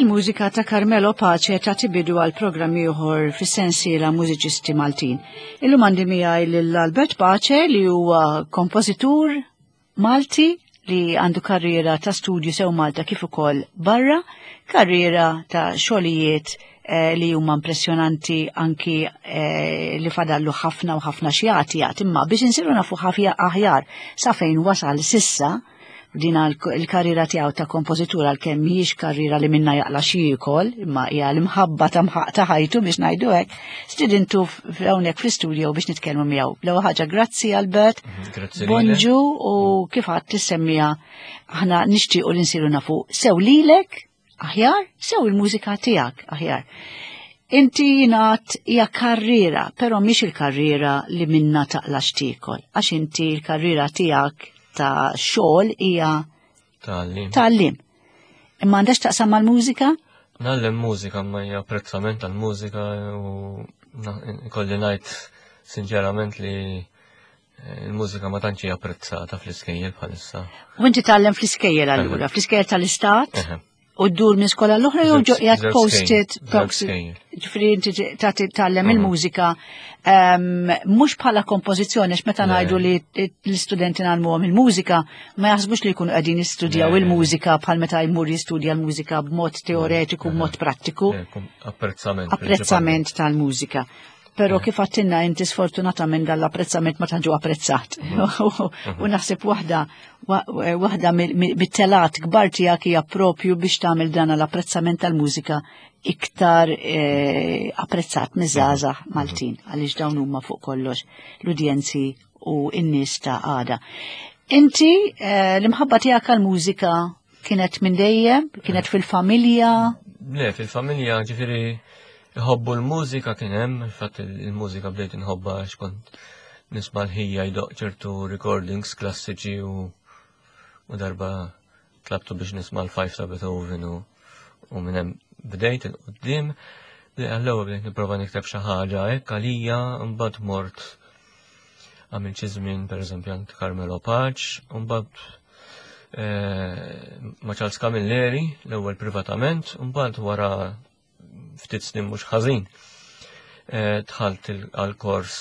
Il-mużika ta' Carmelo Pace tagħti bidu għal programm ieħor fis-sensiela Mużiċisti Maltin. Illum għandi miegħi lil Albert Pace li huwa kompożitur Malti li għandu karriera ta' studju sew Malta kif ukoll barra, karriera ta' xogħlijiet eh, li huma impressjonanti anki eh, li fadallu ħafna u ħafna xjati jagħti imma biex insiru nafu ħafja aħjar sa fejn wasal sissa din il-karriera tiegħu ta' kompożitur għalkemm mhijiex karriera li minna jaqla xi jiekol, imma hija l-imħabba ta' mħaq ta' ħajtu biex ngħidu hekk, stidintu hawnhekk fl-istudio biex nitkellmu miegħu. L-ewwel ħaġa grazzi Albert. Mhm, grazzi. Bonġu u kif għad tissemmija aħna nixtiequ li nsiru nafu sew lilek aħjar, sew il-mużika tiegħek aħjar. Inti jingħad hija karriera, però mhix il-karriera li minna taqla x'tiekol, għax inti l-karriera tiegħek ta' xogħol hija Tgħallim. Tgħallim. Imma għandax taqsam mal-mużika? Ngħallem mużika ma hija apprezzament tal-mużika u kolli ngħid sinċerament li eh, il-mużika ma tantx hija apprezzata fl-iskejjel bħalissa. U inti tgħallem fl-iskejjel allura, fl-iskejjel tal-istat? U ddur minn skola l-oħra jew ġo posted ġifieri inti tagħti tgħallem mhm. il-mużika ehm, mhux bħala kompożizzjoni għax meta ngħidu li l-istudenti ngħallmuhom il-mużika ma jaħsbux li jkunu qegħdin jistudjaw il-mużika bħal meta jmur jistudja l-mużika b'mod teoretiku, b'mod prattiku. Apprezzament. Apprezzament tal-mużika. Pero kif għattinna inti sfortunatament dal-apprezzament ma tanġu apprezzat. Mhm. U naħseb waħda eh, waħda mit-telat kbar tiegħek hija propju biex tagħmel dan l-apprezzament tal-mużika iktar eh, apprezzat miż-żgħażagħ mhm. Maltin għaliex dawn huma fuq kollox l-udjenzi u n-nies ta' għada. Inti eh, l-imħabba tiegħek għall-mużika kienet minn dejjem, kienet fil-familja? Le, fil-familja ġifieri iħobbu l-mużika kien hemm, fatt il-mużika bdejt inħobba għax kont nisma' l-ħija jdoq ċertu recordings klassiċi u u darba tlabtu biex nisma' l-Five ta' Beethoven u u minn hemm bdejt il-qudiem. Għall-ewwel bdejt nipprova nikteb xi ħaġa hekk għalija mbagħad mort għamil xi żmien pereżempju għand Carmelo Paċ, u mbagħad eh, ma' Charles Camilleri l-ewwel privatament, u mbagħad wara ftit snin mhux ħażin eh, dħalt għal-kors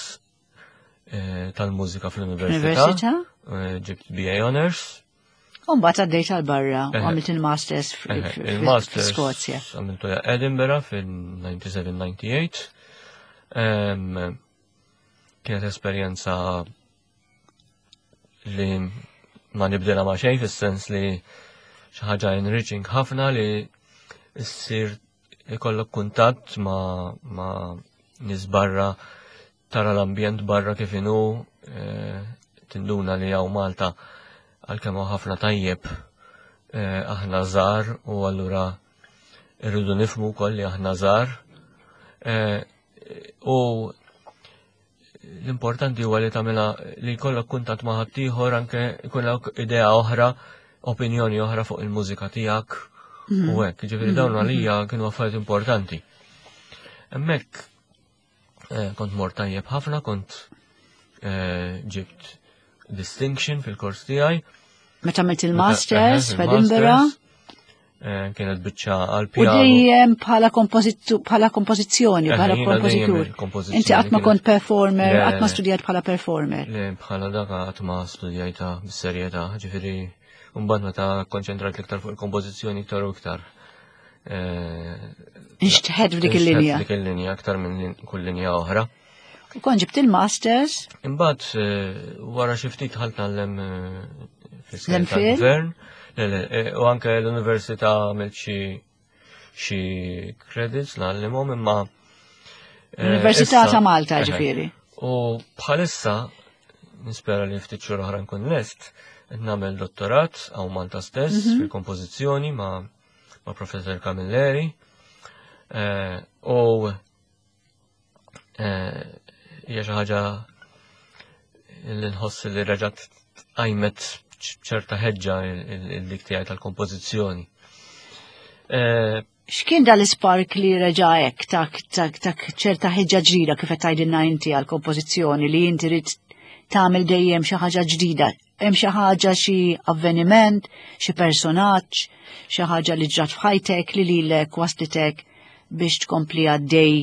eh, tal-mużika fl-università. Ġibt BA Honors. U mbagħad għaddejt għal barra u għamilt il-masters fl-Skozja. Għamiltu Edinburgh fil-97-98. Kienet esperjenza li ma nibdilha ma xejn fis-sens li xi ħaġa enriching ħafna li ssir ikollok kuntatt ma, ma nies barra tara l-ambjent barra kif inhu eh, tinduna li hawn Malta għalkemm hawn ħafna tajjeb eh, aħna żgħar u allura irridu nifhmu wkoll li aħna żgħar. Eh, u l-importanti huwa li tagħmilha li jkollok kuntatt ma' ħaddieħor anke jkollok idea oħra, opinjoni oħra fuq il-mużika tiegħek u mhm. hekk. Ġifieri dawn mhm. għalija kienu affarijiet importanti. Hemmhekk eh, kont mort tajjeb ħafna, kont eh, ġibt distinction fil-kors tiegħi. Meta għamilt il-masters f'Edinburgh? Eh, kienet biċċa għal pjano. U dejjem bħala bħala kompożizzjoni, bħala kompożitur. Inti qatt ma kont performer, qatt ma studjajt bħala performer. Le, bħala dak qatt ma studjajta bis-serjetà, ġifieri mbagħad meta konċentrajt l-iktar fuq il-kompożizzjoni iktar u iktar. Eh, Nixtħed f'dik il-linja. Dik il-linja aktar minn kull linja oħra. U kon ġibt il-masters. Imbagħad eh, wara xi ftit ħalt nagħllem eh, fl-gvern. Eh, u anke l-università għamilt xi xi credits nagħllimhom imma L-Università ta' Malta ġifieri. U bħalissa nispera li ftit xhur oħra nkun lest qed nagħmel dottorat hawn Malta stess mhm. fil-kompożizzjoni ma' ma' Professor Camilleri. U Eh, hija xi ħaġa li nħoss li reġgħet qajmet ċerta ħeġġa il-dik tiegħi tal-kompożizzjoni. Eh, X'kien dal-ispark li reġa' hekk tak tak tak ċerta ħeġġa ġdida kif qed tgħidilna inti għall-kompożizzjoni li inti rid tagħmel dejjem xi ħaġa ġdida? Hemm xi ħaġa xi avveniment, xi personaġġ, xi ħaġa li ġrat f'ħajtek li lilek waslitek biex tkompli għaddej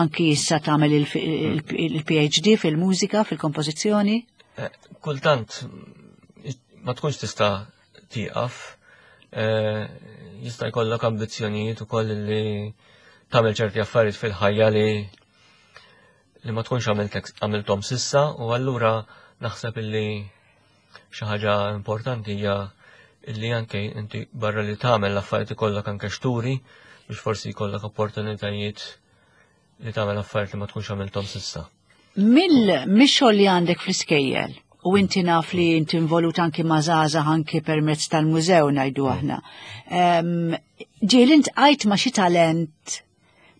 anki issa tagħmel il-PhD fil-mużika, fil-kompożizzjoni? Eh, kultant ma tkunx tista' tieqaf, eh, jista' jkollok ambizzjonijiet ukoll li tagħmel ċerti affarijiet fil-ħajja li li ma tkunx għamilthom sissa u allura naħseb illi xi ħaġa importanti hija illi anke inti barra li tagħmel l-affarijiet ikollok anke xturi biex forsi jkollok opportunitajiet li tagħmel affarijiet li ma tkunx għamilthom sissa. Mill-xogħol li għandek fl-iskejjel u inti naf li inti involut anki ma' żgħażagħ anki permezz tal-mużew ngħidu aħna. Ġieli intqajt ma' xi talent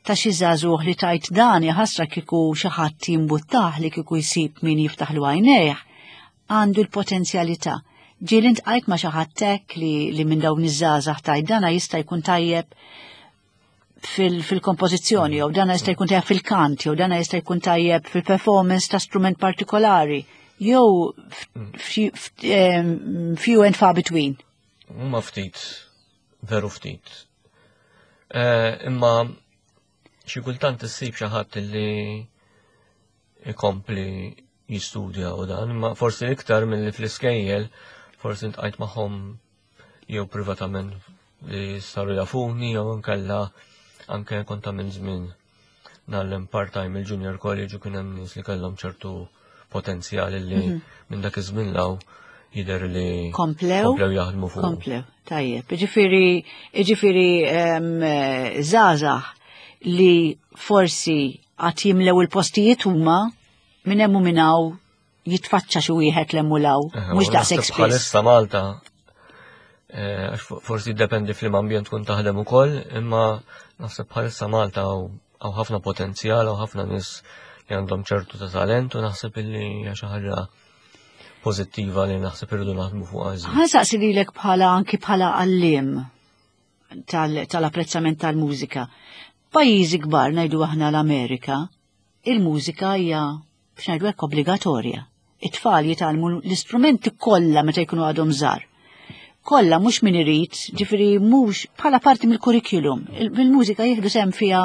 ta' xi żagħżugħ li tajt dan jaħasra kieku xi ħadd jimbuttah li kieku jsib min jiftaħlu għajnejh, għandu l-potenzjalità. Ġieli ntqajt ma' xi ħadd hekk li, li minn dawn iż-żgħażagħ tajt dana jista' jkun tajjeb fil-kompożizzjoni, jew dana jista' jkun tajjeb fil-kant, jew dana jista' jkun tajjeb fil-performance ta' strument partikolari, jew few and far between. Huma ftit, veru ftit. Eh, imma xi kultant issib xi ħadd li ikompli jistudja u dan, imma forsi iktar milli fl-iskejjel, forsi ntqajt magħhom jew privatament li saru jafuni jew nkella anke kont minn żmien nagħllem part-time il-junior college u kien hemm nies li kellhom ċertu potenzjal li mhm. minn dak iż-żmien law jidher li komplew komplew jaħdmu fuq. Komplew, tajjeb. Ġifieri ġifieri żgħażagħ li forsi għad jimlew il-postijiet huma minn hemm u minn hawn jitfaċċa xi wieħed l hemm u law, mhux daqshekk spiss. Bħalissa Malta eh, għax forsi jiddependi fl ambjent tkun taħdem ukoll, imma naħseb bħalissa Malta hawn ħafna potenzjal, hawn ħafna nies li għandhom ċertu ta' talent u naħseb illi hija xi ħaġa pożittiva li naħseb irridu naħdmu fuq għażi. Ħansaqsi lilek bħala anki bħala għalliem tal-apprezzament tal-mużika. Pajjiżi kbar ngħidu aħna l-Amerika, il-mużika hija biex ngħidu hekk obbligatorja. It-tfal jitgħallmu l-istrumenti kollha meta jkunu għadhom żgħar. Kollha mhux min irid, ġifieri mhux bħala parti mill-kurrikulum. Il-mużika jieħdu sehem fiha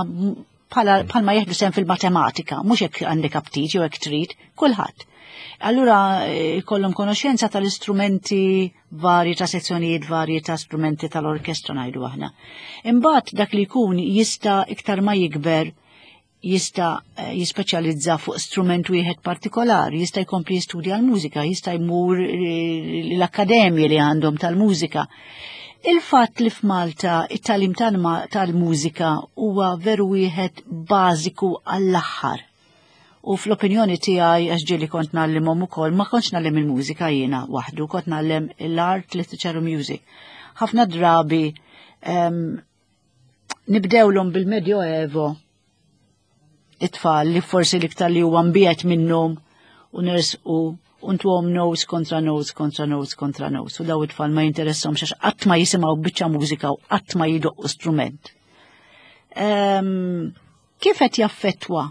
bħala bħalma jieħdu sehem fil-matematika, mhux hekk għandek aptit jew hekk trid, kulħadd. Allura eh, jkollhom konoxenza tal-istrumenti varji ta' sezzjonijiet varji ta' strumenti tal-orkestra ngħidu aħna. Imbagħad dak li jkun jista' iktar ma jikber jista' eh, jispeċjalizza fuq strument wieħed partikolari, jista' jkompli jistudja l-mużika, jista' jmur eh, l-akkademji li għandhom tal-mużika. Il-fatt li f'Malta it-talim tal-mużika huwa veru wieħed bażiku għall-aħħar. U fl-opinjoni tiegħi għax ġieli kont ngħallimhom ukoll, ma kontx ngħallim il-mużika jiena waħdu, kont ngħallem l-art, literature u music. Ħafna drabi um, nibdewlhom bil-Medjoevo it-tfal li forsi l-iktar li huwa mbiet minnhom u nersqu u ntuhom notes kontra notes kontra notes kontra notes u daw it-tfal ma jinteressahomx għax qatt ma jisimgħu biċċa mużika u qatt ma jidoqqu strument. Um, kif qed jaffettwa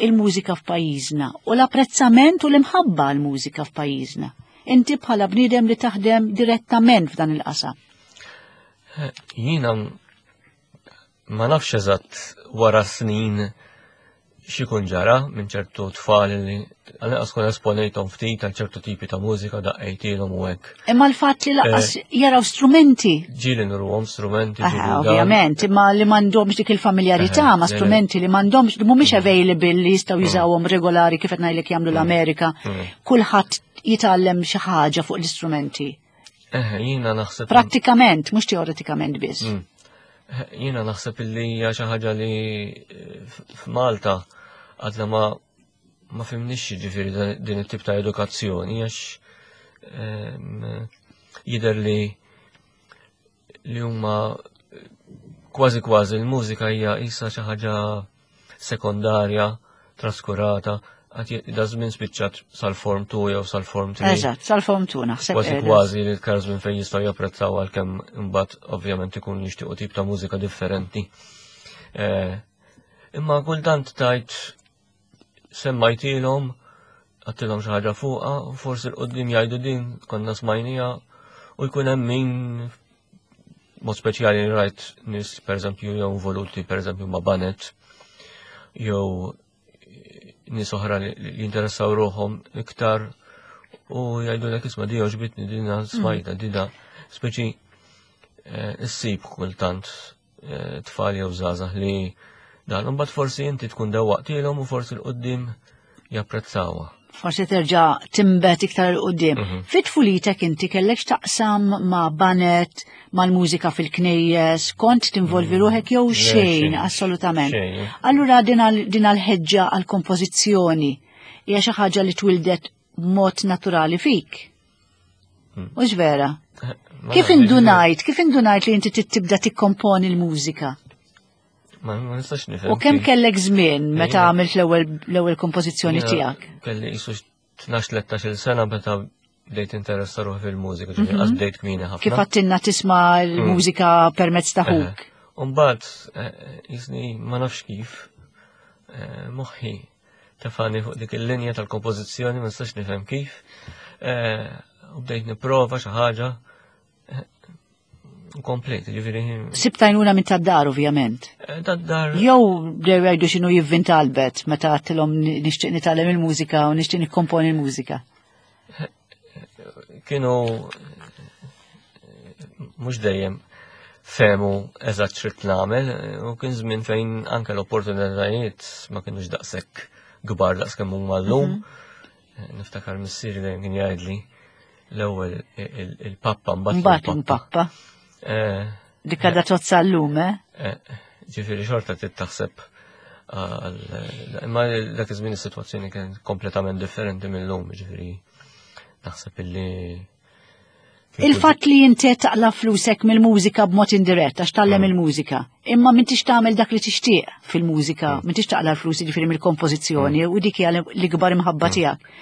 il-mużika f'pajjiżna u l-apprezzament u l-imħabba għall-mużika f'pajjiżna. Inti bħala bniedem li taħdem direttament f'dan il-qasam. Jiena ma nafx eżatt wara snin xikun ġara minn ċertu tfal li għal-inqas kun esponejthom ftit għal ċertu tipi ta' mużika daqqejtilhom u hekk. Imma l-fatt li laqas eh, jaraw strumenti. Ġieli nurhom strumenti. Ovvjament, imma li m'għandhomx dik il-familjarità ma' strumenti li m'għandhomx li mhumiex mm. available li jistgħu mm. jużawhom regolari kif qed ngħidlek jagħmlu mm. l-Amerika. Kulħadd jitgħallem xi ħaġa fuq l-istrumenti. Eh, jiena naħseb. Prattikament, mhux teoretikament biss. Eh, jiena naħseb illi hija xi ħaġa li eh, f'Malta għadna ma ma fimnix ġifieri din it-tip ta' edukazzjoni għax ehm, jidher li li huma kważi kważi l-mużika hija isa xi ħaġa sekondarja, traskurata, għat da żmien spiċċat sal-form 2 jew sal-form 3. Eżatt, sal-form 2 naħseb. Kważi kważi li l-kar żmien fejn jistgħu japprezzaw għalkemm imbagħad ovvjament ikun jixtiequ tip ta' mużika differenti. Eh, imma kultant tajt semmajtilhom għattilhom xi ħaġa fuqha, u forsi l-qoddim jgħidu din konna smajnija u jkun hemm min mod speċjali rajt nies pereżempju jew involuti pereżempju ma' banet jew nies oħra li jinteressaw ruħhom iktar u jgħidu l isma' di għoġbitni dina smajta dina speċi eh, issib kultant eh, tfal jew żgħażagħ li dan imbagħad forsi inti tkun dewwaqtilhom u forsi l-qudiem japprezzawha. Forsi terġa' timbet iktar 'il quddiem. Mhm. Fit tfulitek inti kellek x'taqsam ma' banet, mal-mużika fil-knejjes, kont tinvolvi mm. ruħek jew xejn assolutament. Allura din għal-ħeġġa għal-kompożizzjoni hija xi ħaġa li twildet mod naturali fik. Mm. Mhux vera? Eh, kif indunajt, kif indunajt li inti tibda tikkomponi l-mużika? Ma nistax nifhem. U kemm kellek żmien meta għamilt l-ewwel kompożizzjoni tiegħek? Kelli qisu 12-13 sena meta bdejt interessa ruħi fil-mużika, ġifieri mhm. qas bdejt kmini ħafna. Kif għattinna tisma' l-mużika mm. permezz ta' ħuk. Umbagħad eh, jisni ma nafx kif eh, moħħi tefani fuq dik il-linja tal-kompożizzjoni ma nistax nifhem kif. Eh, u bdejt nipprova xi ħaġa Komplet, ġifiri. Sib tajnuna minn tad-dar, ovvjament. Eh, tad-dar. Jew bdew jgħidu x'inhu jivvinta Albert meta għattilhom nixtieq nitgħallem il-mużika u nixtieq nikkomponi l-mużika. Kienu mhux dejjem fehmu eżatt x'rid nagħmel u kien żmien fejn anke l-opportunitajiet ma kinux daqshekk kbar daqs kemm huma llum. Mhm. Niftakar missieri dejjem kien jgħidli l-ewwel il-pappa mbagħad il-pappa. Eh, Dik għadha tozza llum, eh? eh? Ġifieri xorta trid taħseb imma dak iż-żmien is-sitwazzjoni kien kompletament differenti mill-lum, ġifieri naħseb illi Il-fatt li inti taqla flusek mill-mużika b'mod indirett għax tallem mm. il-mużika, imma m'intix tagħmel dak li tixtieq fil-mużika, mm. m'intix taqla l-flus jiġifieri mill-kompożizzjoni mm. u dik hija l-ikbar imħabba tiegħek.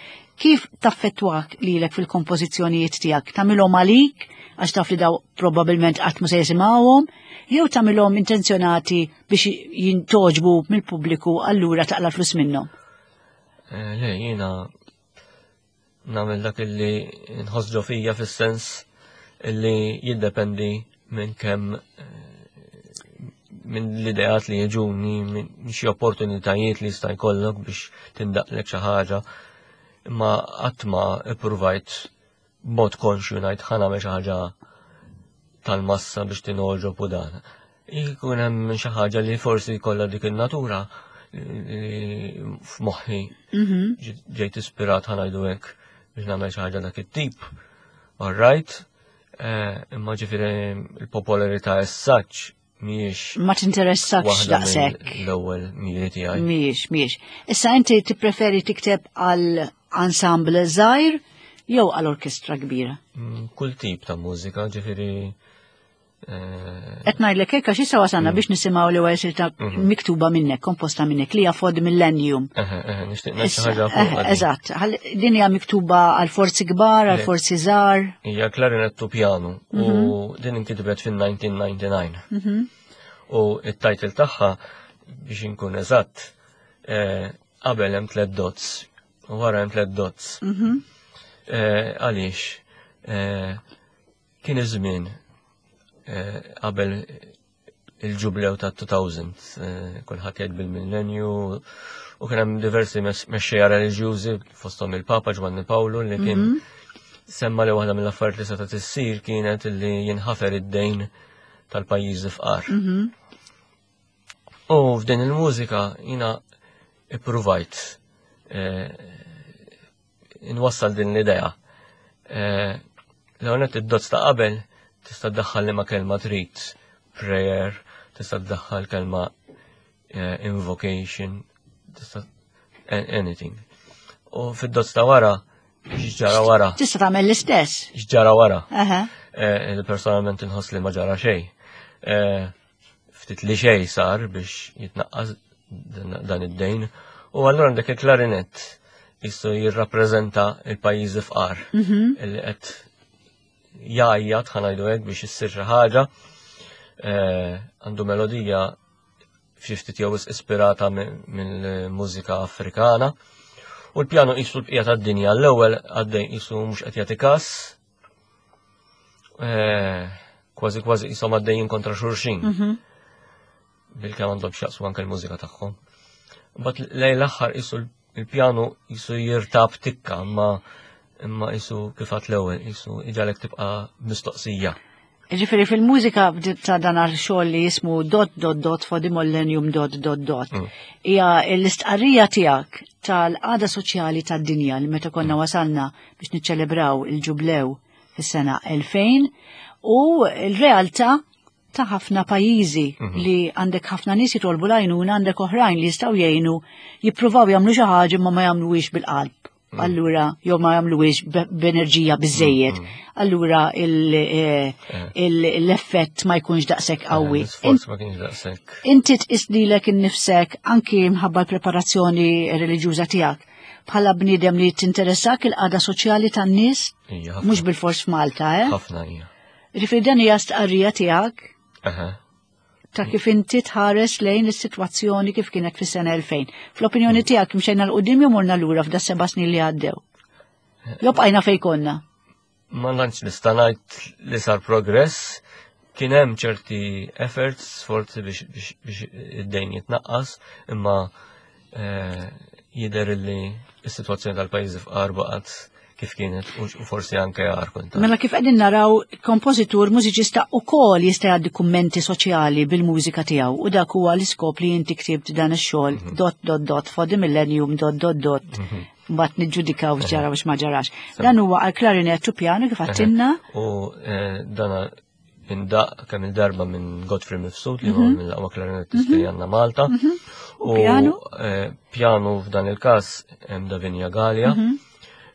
Kif taffettwak lilek fil-kompożizzjonijiet tiegħek? Tagħmilhom għalik għax taf li daw probabbilment qatt ma se jisimgħuhom, jew tagħmilhom intenzjonati biex jintoġbu mill-pubbliku allura taqla flus minnhom? Eh, le, jiena nagħmel dak illi nħoss ġo fija fis-sens illi jiddependi minn kemm eh, minn l-ideat li jiġuni, minn xi opportunitajiet li jista' jkollok biex tindaqlek xi ħaġa. Imma qatt ma ippruvajt b'mod konxju ngħid ħa nagħmel xi ħaġa tal-massa biex tinogħġob u dan. Jkun hemm xi ħaġa li forsi jkollha dik in-natura f'moħħi mhm. ġejt ispirat ħa ngħidu hekk biex nagħmel xi ħaġa dak it-tip. All right, eh, imma ġifieri il-popolarità as such mhijiex. Ma tinteressakx daqshekk. L-ewwel miri tiegħi. Mhijiex, mhijiex. Issa inti tippreferi tikteb għal ensemble żgħir jew għal orkestra kbira? Mm, kull tip ta' mużika, ġifieri eh, Qed ngħidlek hekk għax issa wasalna mm. biex nisimgħu l-ewwel silta mhm. miktuba minnek, komposta minnek li hija Fod Millennium. Nixtieq ngħid xi ħaġa fuq. Eżatt, din hija miktuba għal forzi kbar, għal forzi żgħar. Hija klarinettu pjanu u mhm. din inkitbet fin-1999. Mhm. U it-title tagħha biex inkun eżatt eh, qabel hemm tliet dots u wara hemm tliet dots. Mhm. Eh, għaliex eh, kien iż-żmien qabel il-ġublew ta' 2000, eh, kulħadd jgħid bil-millenju, u kien hemm diversi mexxejja reliġjużi fosthom il-Papa Ġwanni Pawlu li kien mhm. semma li waħda mill-affarijiet li seta' tissir kienet li jinħafer id-dejn tal-pajjiżi fqar. Mhm. U f'din il-mużika jina ippruvajt eh, inwassal din l-idea. Eh, l-għonet id-dozz ta' qabel tista' ddaħħal li ma kelma trid, prayer, tista' ddaħħal kelma eh, invocation, tista' anything. U fid-dozz ta' wara, x'ġara wara. Tista' tagħmel l-istess. X'ġara wara. Eh, personalment inħoss li ma ġara xejn. Ftit li xejn sar biex jitnaqqas dan id-dejn. U allura għandek il-klarinett jissu jirrappreżenta il-pajjiżi fqar mhm. illi qed jgħajjat ħanajdu hekk biex issir xi ħaġa. Eh, għandu melodija xi ftit jew ispirata mill-mużika Afrikana. U l-pjanu qisu l-bqija tad-dinja l-ewwel għaddej qisu mhux qed jagħti każ. Eh, kważi kważi qishom għaddejjin kontra xulxin. Mhm. Bil-kemm għandhom x'jaqsmu anke l-mużika tagħhom. Mbagħad lejn l-aħħar qisu il-pjanu qisu jirtab tikka imma imma qisu kif għat l-ewwel qisu iġalek tibqa' mistoqsija. Ġifiri fil-mużika ta' dan xogħol li jismu dot dot dot for the millennium dot dot dot. Mm. Hija l-istqarrija tiegħek tal-qada soċjali tad-dinja li meta konna mm. wasalna biex niċċelebraw il-ġublew fis-sena 2000 u l-realtà ta' ħafna pajjiżi mhm. li għandek ħafna nies jitolbu l-għajnuna għandek oħrajn li jistgħu jgħinu jippruvaw jagħmlu xi ħaġa ma ma jagħmluhiex bil-qalb. Mm. Allura jew ma jagħmluhiex b'enerġija biżejjed. Mm, mm. Allura eh, eh. l-effett ma jkunx daqshekk eh, qawwi. L-isforz ma kienx daqshekk. Inti tqis lilek innifsek anki mħabba l-preparazzjoni reliġjuża tiegħek bħala bniedem li tinteressak il-qada soċjali tan-nies mhux bil-fors f'Malta, eh? Ħafna hija. Ġifieri dan hija stqarrija tiegħek ta' kif inti tħares lejn is-sitwazzjoni kif kienet fis-sena 2000. Fl-opinjoni mm. tiegħek mxejna l qudiem jew morna lura f'da seba' snin li għaddew. Jew bqajna fejn konna. Ma nantx nista' ngħid li sar progress, kien hemm ċerti efforts, sforzi biex id-dejn jitnaqqas, imma eh, jidher li s-sitwazzjoni tal-pajjiżi fqar baqgħet kif kienet u forsi anke għar konta. Mela kif qegħdin naraw kompożitur mużiċista ukoll jista' jgħaddi kummenti soċjali bil-mużika tiegħu u dak huwa l-iskop li inti ktibt dan ix-xogħol mhm. dot dot dot for the millennium dot dot dot. Mhm. Mbagħad niġġudikaw x'ġara u x'ma ġarax. Dan huwa għal klarinett u pjanu kif għattinna. U eh, dan indaq kemm il-darba minn Godfrey Mifsud li huwa mhm. mill-aqwa klarinettisti li mhm. għandna Malta. Mhm. U piano? Eh, piano f'dan il-każ hemm Davinia Gallia.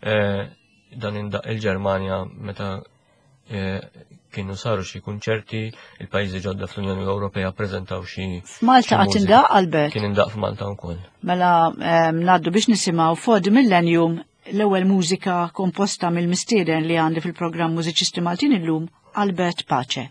Eh, dan indaq il-Ġermanja meta eh, kienu saru xi kunċerti, il-pajjiżi ġodda fl-Unjoni Ewropea preżentaw xi. F'Malta qatt indaq Albert? Kien indaq f'Malta wkoll. Mela ngħaddu biex nisimgħu For the Millennium L-ewwel mużika komposta mill-mistieden li għandi fil-programm Mużiċisti Maltin illum, Albert Pace.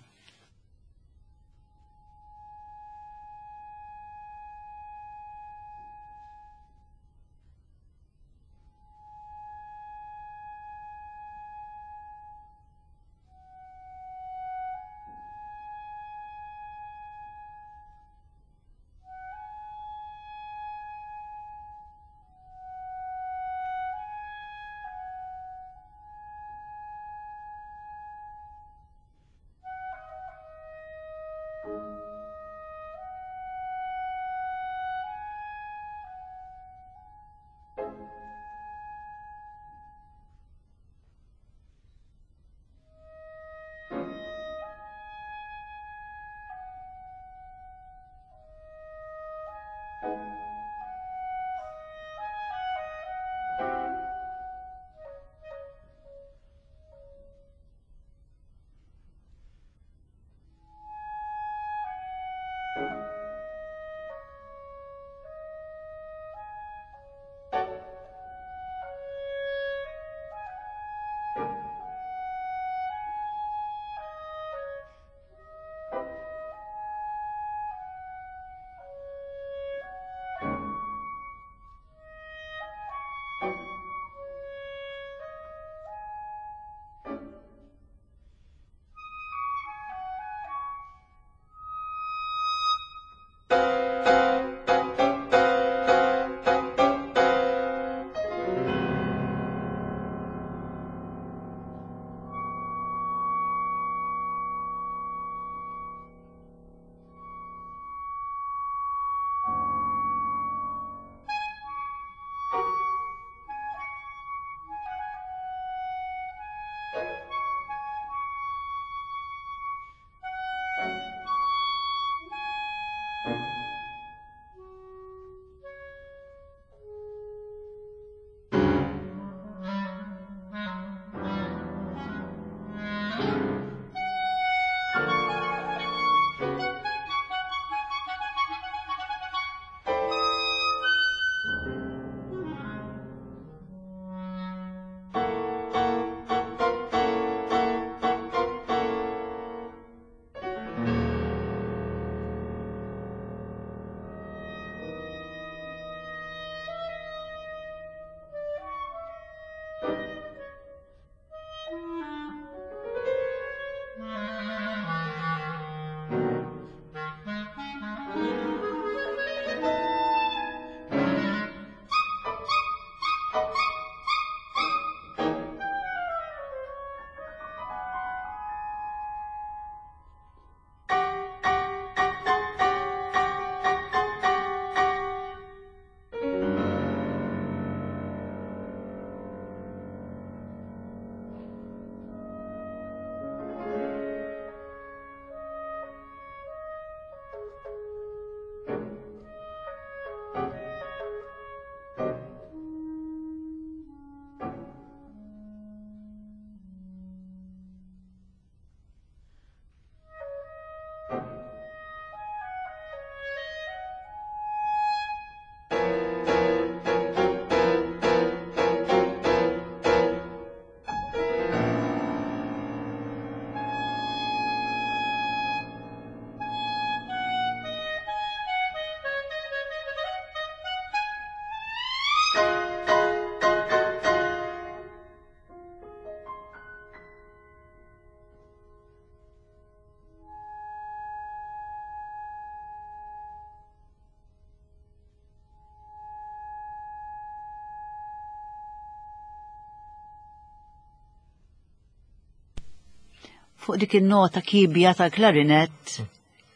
Fuq dik in-nota kibja tal-klarinett,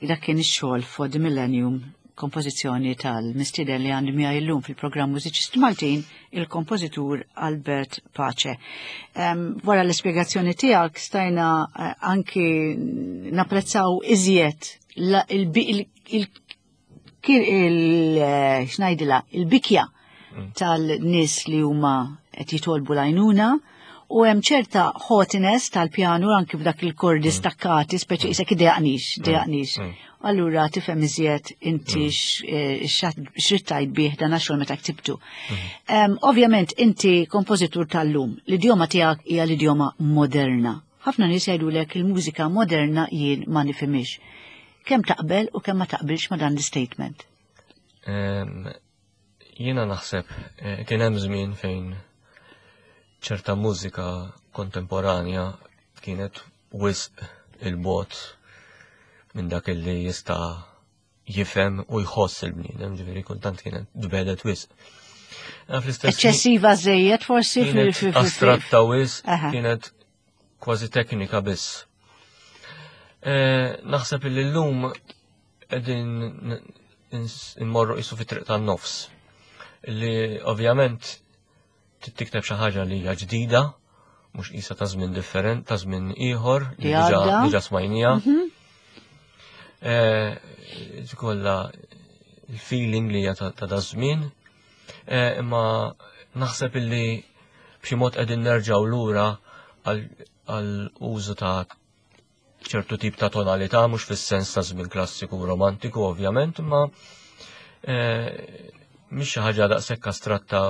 dak kien ix-xogħol for the Millennium, kompożizzjoni tal-mistieden li għandi miegħi llum fil-programm Mużiċisti Maltin, il-kompożitur Albert Pace. Wara l-ispjegazzjoni tiegħek stajna eh, anki napprezzaw iżjed il-xnajdila, eh, il-bikja tal-nies li huma qed jitolbu l-għajnuna u hemm ċerta haughtiness tal-pjanu anki f'dak il-kordi stakkati, speċi isek idejaqnix, idejaqnix. Allura tifhem iżjed inti eh, x'rid tgħid bih dan għax meta ktibtu. Ovvjament inti kompożitur tal-lum, l-idjoma tiegħek hija l-idjoma moderna. Ħafna nies jgħidulek il-mużika moderna jien ma nifhimhiex. Kemm taqbel u kemm ma taqbilx ma dan l-statement? Jiena naħseb eh, kien hemm żmien fejn ċerta mużika kontemporanja kienet wisq il-bot minn dak li jista' jifhem u jħoss il-bniedem, ġifieri kultant kienet tbedet wisq. Eċċessiva żejjed forsi fil Astratta wisq kienet kważi teknika biss. Eh, naħseb li llum qegħdin immorru qisu fit-triq tan-nofs. Li ovvjament tikteb xi ħaġa li hija ġdida, mhux qisha ta' żmien different, ta' żmien ieħor li diġà smajnija. Mhm. Eh, kollha il-feeling li hija ta' da' żmien. Eh, imma naħseb illi b'xi mod qegħdin nerġgħu lura għal użu ta' ċertu tip ta' tonalità, mhux fis-sens ta' żmien klassiku u romantiku ovvjament, imma eh, mhix xi ħaġa daqshekk astratta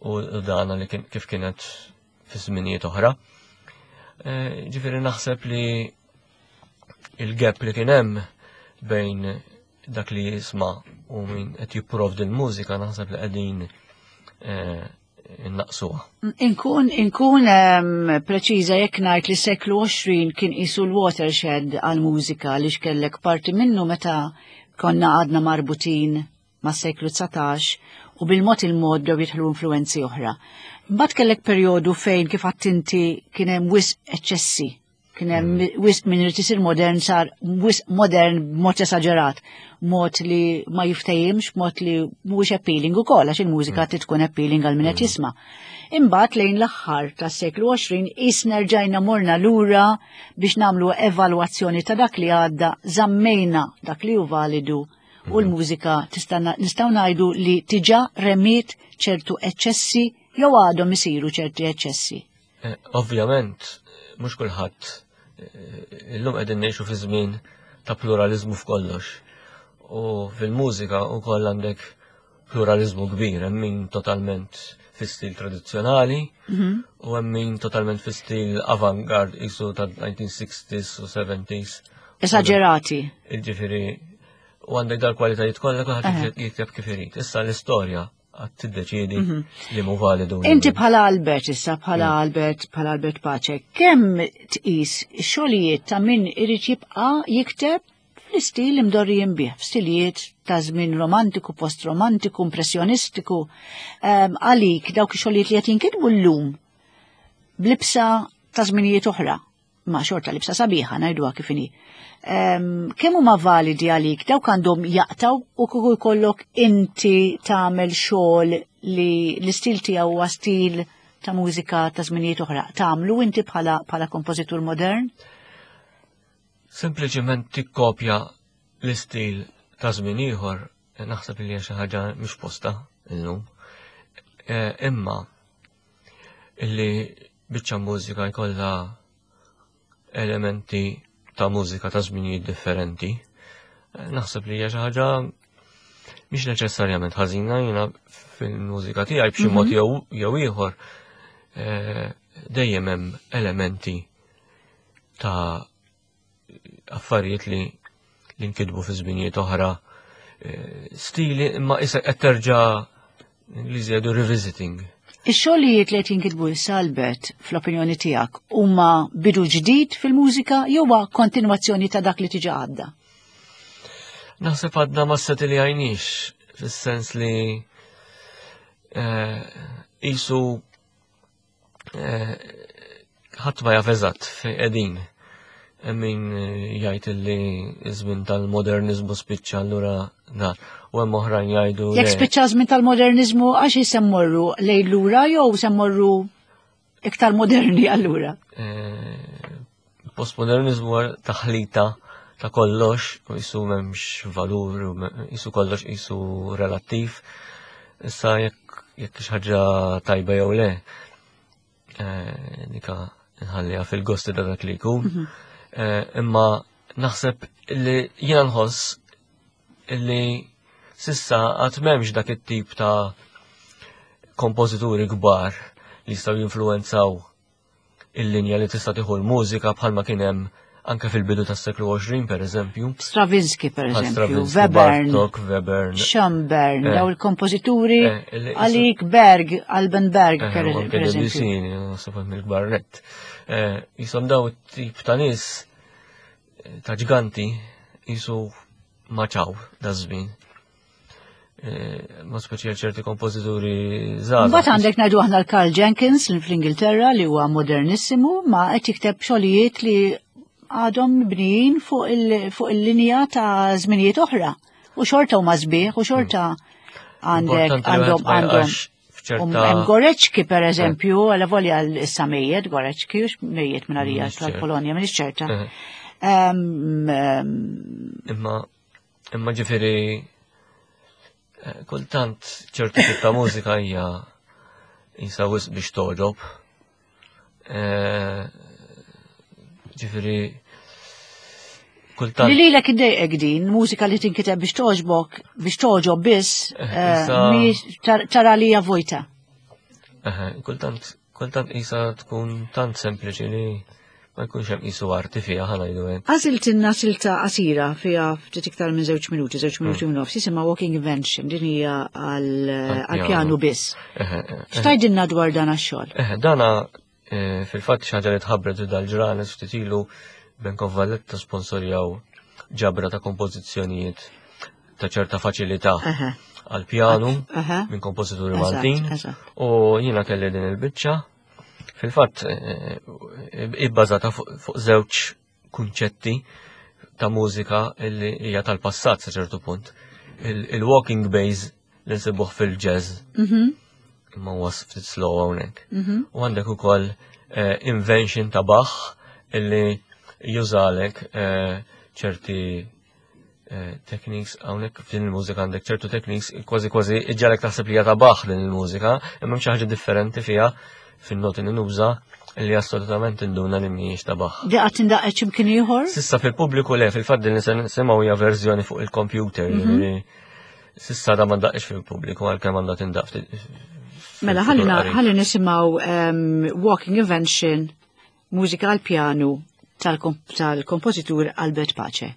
u dana li kif kienet fi żminijiet oħra. Eh, ġifieri naħseb li il-gap li kien hemm bejn dak li jisma' u min qed jipprovdi l-mużika naħseb li qegħdin eh, innaqsuha. Inkun inkun ehm, preċiża jekk ngħid li seklu 20 kien qisu l-watershed għall-mużika li xkellek parti minnu meta konna għadna marbutin mas-seklu 19 u bil-mod il-mod bdew jidħlu influenzi oħra. Mbagħad kellek perjodu fejn kif għattinti kien hemm wisq eċċessi Kien hemm mm. wisq min irid isir modern sar wisq modern b'mod esaġerat, mod li ma jiftehimx, mod li mhuwiex appealing ukoll għax il-mużika mm. trid tkun appealing għal min qed mm. jisma'. Imbagħad lejn l-aħħar tas-seklu 20 qisna rġajna morna lura biex nagħmlu evalwazzjoni ta' dak li għadda, żammejna dak li hu validu u l-mużika tista' nistgħu ngħidu li tiġa remiet ċertu eċċessi jew għadhom isiru ċerti eċċessi. Eh, ovvjament, mhux kulħadd eh, illum qegħdin ngħixu fi żmien ta' pluralizmu f'kollox. U fil-mużika wkoll għandek pluralizmu kbir, hemm min totalment fi stil tradizzjonali mhm. u hemm min totalment fi stil avant-garde isu ta' 1960s u 70s. Esagerati. Ġifieri u għandek dal-kwalitajiet kollha kulħadd jikteb kif irid. Issa l-istorja għad tiddeċiedi mhm. li mu validu. Inti bħala Albert issa bħala mm. Albert bħala Albert Pace, kemm tqis xogħlijiet ta' min irid jibqa' jikteb fl-istil imdorrijin bih, f'stilijiet ta' żmien romantiku, post-romantiku, impressjonistiku, ehm, għalik dawk ix-xogħlijiet li qed jinkitbu llum blibsa ta' żminijiet oħra ma xorta libsa sabiħa ngħiduha kif inhi. Ehm, kemm huma validi għalik dawk għandhom jaqtaw u kieku jkollok inti tagħmel xogħol li l-istil tiegħu huwa stil ta' mużika ta' żminijiet oħra. Tagħmlu inti bħala bħala kompożitur modern? Sempliċement tikkopja l-istil ta' żmien ieħor naħseb li hija xi ħaġa mhux posta illum. Eh, imma illi biċċa mużika jkollha elementi ta' mużika ta' żminijiet differenti. Eh, naħseb li hija xi ħaġa mhix neċessarjament ħażina jiena fil-mużika tiegħi b'xi mod mhm. jew ieħor eh, dejjem hemm elementi ta' affarijiet li li nkitbu fi żminijiet oħra eh, stili imma issa qed terġa' Ingliżi jgħidu revisiting. Ix-xogħlijiet li qed jinkitbu issa Albert fl-opinjoni tiegħek huma bidu ġdid fil-mużika jew huwa kontinwazzjoni ta' dak li tiġa għadda? Naħseb għadna ma li għajnix fis-sens li eh, isu eh, Ħadd ma jaf eżatt fejn qegħdin. Hemm min jgħid li ż-żmien tal-moderniżmu spiċċa allura na. U hemm oħrajn jgħidu. Jekk spiċċa żmien tal-moderniżmu għax se mmorru lejn lura jew se mmorru iktar moderni allura? Eh, postmodernizmu taħlita ta' kollox, u jisu memx valur, jisu kollox jisu relattiv. Issa jekk jekk ħaġa tajba jew le, eh, nika nħalliha fil-gosti ta' dak li jkun. Mhm. Eh, imma naħseb li jiena nħoss li sissa għad m'hemmx dak it-tip ta' kompożituri kbar li jistgħu jinfluwenzaw il-linja li tista' tieħu l-mużika bħalma kien hemm anke fil-bidu tas-seklu 20 per eżempju. Stravinsky per eżempju, Webern, Bartok, Webern, Schoenberg, eh. daw il-kompożituri eh, għalik Berg, Alban Berg eh, per eżempju. Naħseb mill-kbar nett. Jisom daw tip ta' nies ta' ġganti jisu maċaw da' żmien. Eh, ma speċjal ċerti kompożituri żgħar. Mbagħad għandek ngħidu aħna l-Karl Jenkins fl-Ingilterra li huwa modernissimu ma qed jikteb xogħlijiet li għadhom mibnijin fuq il-linja ta' żminijiet oħra. U xorta huma sbieħ u xorta għandek għandhom għandhom Hemm Goreċki per eh. eżempju, għala volja issa mejjet Goreċki, u mejjet minn għalija tal-Polonja, minn ċerta. Eh. Imma Imma ġifieri eh, kultant ċertu tip ta' mużika hija jisa wisq biex toġob. Eh, ġifieri kultant. Li lilek iddejqek din, mużika li tinkiteb biex toġbok, biex toġob biss, eh, tara li hija vojta. Kultant, kultant isa tkun tant sempliċi li ma jkunx hemm qisu arti fiha ħa ngħidu hekk. Għażiltilna silta qasira fiha ftit iktar minn żewġ minuti, żewġ minuti u nofs, jisimha Walking Invention, din hija għall-pjanu biss. X'tgħidilna dwar dan għax-xogħol? Dana eh, fil-fatt xi ħaġa li tħabbret dal-ġranet ftit ilu Bank of Valletta sponsorjaw ġabra ta' kompożizzjonijiet ta' ċerta faċilità għal-pjanu minn kompożituri Maltin u jiena kelli din il-biċċa Fil-fatt, eh, ibbażata fuq żewġ kunċetti ta' mużika li hija tal-passat sa ċertu punt. Il-walking bass li nsibuh fil-jazz. Mhm. Imma huwa ftit slow hawnhekk. Mhm. U għandek ukoll eh, invention ta' Bach illi jużalek eh, ċerti Eh, techniques hawnhekk f'din il-mużika għandek ċertu techniques kważi kważi iġġalek taħseb li hija ta' Bach din il-mużika, imma hemm xi ħaġa differenti fiha fin-noti li nuża li assolutament induna li mhijiex ta' Bach. Di qatt indaqqet x'imkien ieħor? Sissa fil-pubbliku le, fil-fatt din li se nisimgħu hija verżjoni fuq il-computer, mhm. sissa da ma ndaqqx fil-pubbliku għalkemm għandha tindaq Mela ħalli nisimgħu ehm, Walking Invention mużika għal pjanu tal-kompożitur Albert Pace.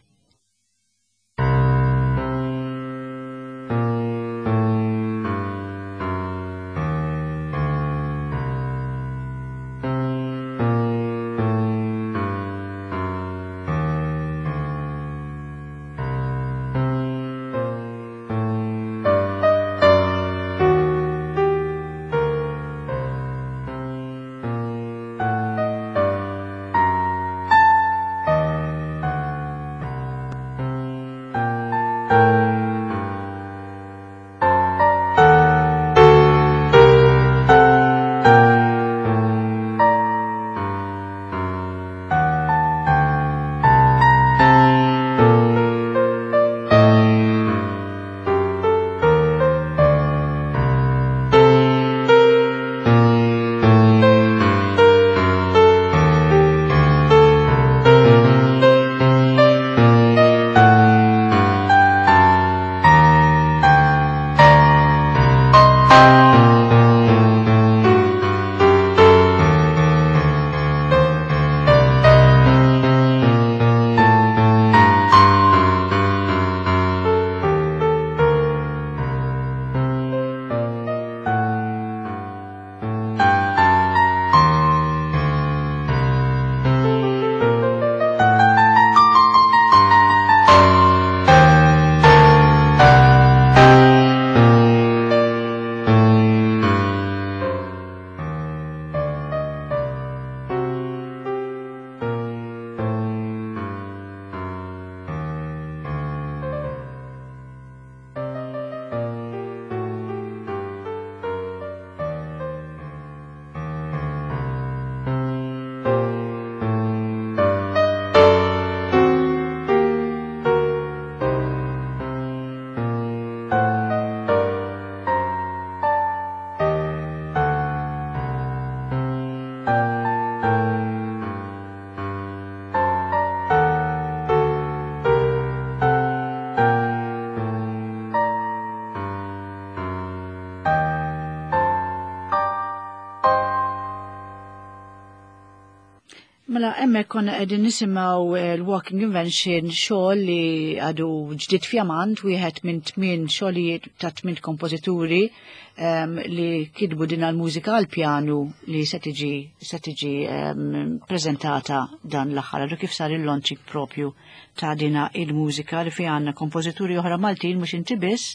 Mela hemmhekk konna qegħdin nisimgħu eh, l-Walking Invention xogħol li għadu ġdid fjamant wieħed minn tmien xogħlijiet ta' tmien kompożituri um, li kitbu din għal-mużika għal-pjanu li se tiġi se tiġi um, preżentata dan l-aħħar għadu kif sar il-launching propju ta' dina il-mużika li fi għandna kompożituri oħra Maltin mhux inti biss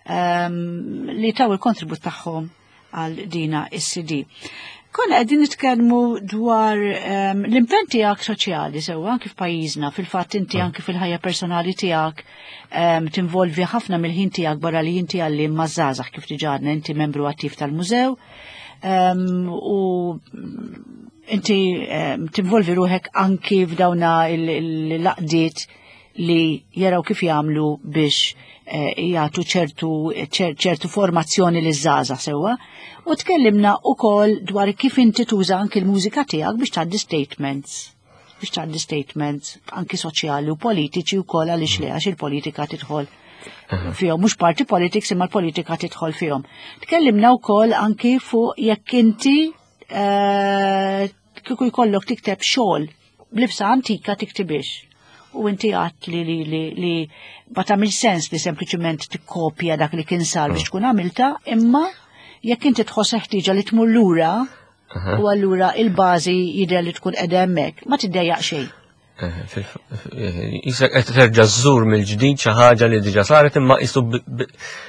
um, li taw il-kontribut tagħhom għal dina is-CD. Konna qegħdin nitkellmu dwar um, l-impenn tiegħek soċjali sewwa anki f'pajjiżna, fil-fatt inti mm. anki fil-ħajja personali tiegħek um, tinvolvi ħafna mill-ħin tiegħek barra li inti għalli mażżażaħ kif diġà inti membru attiv tal-mużew um, u inti um, tinvolvi ruħek anki f'dawna il-laqdiet li jaraw kif jagħmlu biex eh, jagħtu ċertu ċertu formazzjoni li żgħażagħ sewwa. U tkellimna wkoll dwar kif inti tuża anki l-mużika tiegħek biex tgħaddi statements biex tgħaddi statements anki soċjali u politiċi wkoll għaliex le għax il-politika tidħol fihom, mhux party politics imma l-politika tidħol fihom. Tkellimna wkoll anki fuq jekk inti eh, kieku jkollok tikteb xogħol b'libsa antika tiktibix. U inti għat li li li li ma tagħmilx sens li sempliċement tikkopja dak li kien sar biex tkun għamilta, imma jekk inti tħoss ħtieġa li tmur lura u allura il-bażi jidher li tkun qiegħda hemmhekk, ma tiddejjaq xejn. Jisek qed terġa' żżur mill-ġdid xi ħaġa li diġà saret imma qisu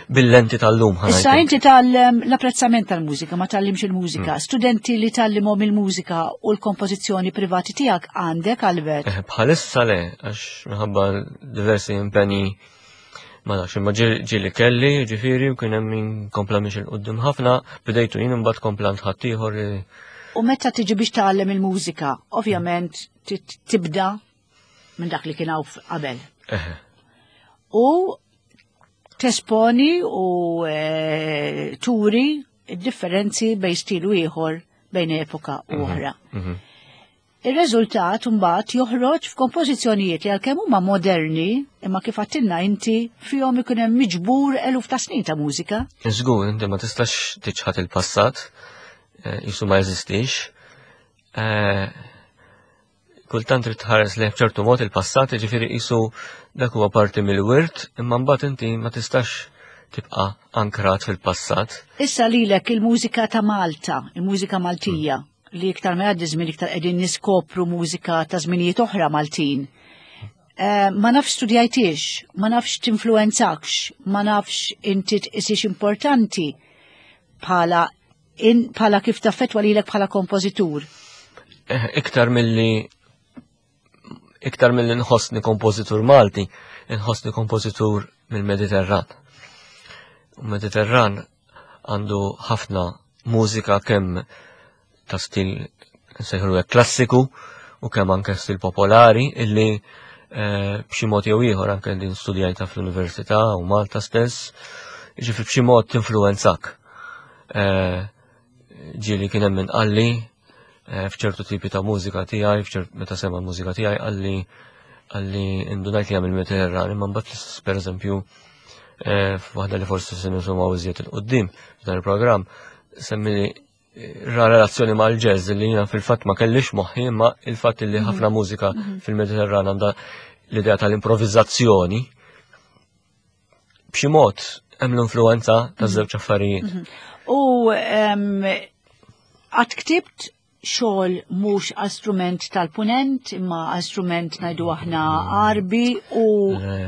bil-lenti tal-lum. Issa inti tal-apprezzament tal-mużika, ma tallimx il-mużika. Mm. Studenti li tallimhom il-mużika u l-kompożizzjoni privati tiegħek għandek Albert? Eh, bħalissa le, għax minħabba diversi impenji ma nafx imma ġieli kelli, ġifieri, u kien hemm min kompla miex il-qudiem ħafna, bidejtu jien imbagħad komplant ħaddieħor. U meta tiġi biex tgħallem il-mużika, ovvjament tibda minn dak li kien hawn qabel. U tesponi u eh, turi differenzi bejn stilu ieħor bejn epoka u mhm, oħra. Mhm. Ir-reżultat mbagħad joħroġ f'kompożizzjonijiet li għalkemm huma moderni, imma kif għattilna inti fihom ikun hemm miġbur eluf ta' snin ta' mużika. Żgur, inti ma tistax tiċħat il-passat, eh, jisu ma jeżistix. Eh, kultant trid tħares lejn f'ċertu mod il-passat, jiġifieri qisu dak huwa parti mill-wirt, imma mbagħad inti ma tistax tibqa' ankrat fil-passat. Issa lilek il-mużika ta' Malta, il-mużika Maltija, li iktar ma jgħaddi żmien iktar qegħdin niskopru mużika ta' żminijiet oħra Maltin. Eh, ma nafx studjajtix, ma nafx tinfluenzakx, ma nafx inti tqisix importanti bħala in bħala kif taffetwa lilek bħala kompożitur? Eh, iktar milli iktar milli nħossni kompożitur Malti, nħossni kompożitur mill-Mediterran. U Mediterran għandu ħafna mużika kemm ta' stil nsejħulu klassiku u kemm anke stil popolari illi eh, b'xi mod jew ieħor anke din studjajta fl-università u Malta stess, ġifi b'xi mod tinfluwenzak. Eh, ġieli kien hemm min qalli eh, f'ċertu tipi ta' mużika tiegħi, f'ċert meta sema l-mużika tiegħi qalli qalli indunajt li għamil Mediterran, imma mbagħad pereżempju eh, f'waħda li forsi se nisimgħu iżjed il-qudiem f'dan il-programm, semmi ra relazzjoni mal-jazz li jiena fil-fatt ma kellix moħħi imma il-fatt li ħafna mhm. mużika mhm. fil-Mediterran għandha l-idea tal-improvizzazzjoni b'xi mod hemm l-influenza ta' mhm. żewġ affarijiet. Mhm. U għad ktibt xogħol mhux għal strument tal-punent imma għal strument ngħidu aħna Għarbi u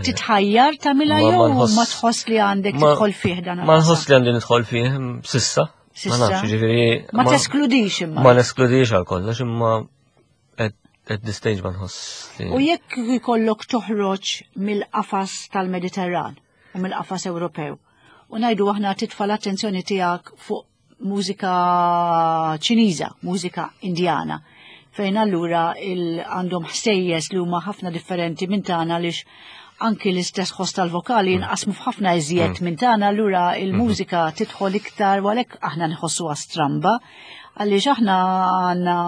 titħajjar tagħmilha jew ma tħoss li għandek tidħol fih dan. Ma nħoss li għandi nidħol fih sissa. Ma nafx, ġifieri. Ma teskludix imma. Ma neskludix għal kollox imma at this stage ma nħoss. U jekk jkollok toħroġ mill-qafas tal-Mediterran u mill-qafas Ewropew u ngħidu aħna titfa' l-attenzjoni tiegħek fuq mużika Ċiniża, mużika Indjana, fejn allura għandhom ħsejjes li huma ħafna differenti minn tagħna għaliex anki l-istess ħoss tal-vokali mm. jinqasmu f'ħafna iżjed mm. minn tagħna allura il-mużika mm-hmm. tidħol iktar u għalhekk aħna nħossuha stramba għaliex aħna għandna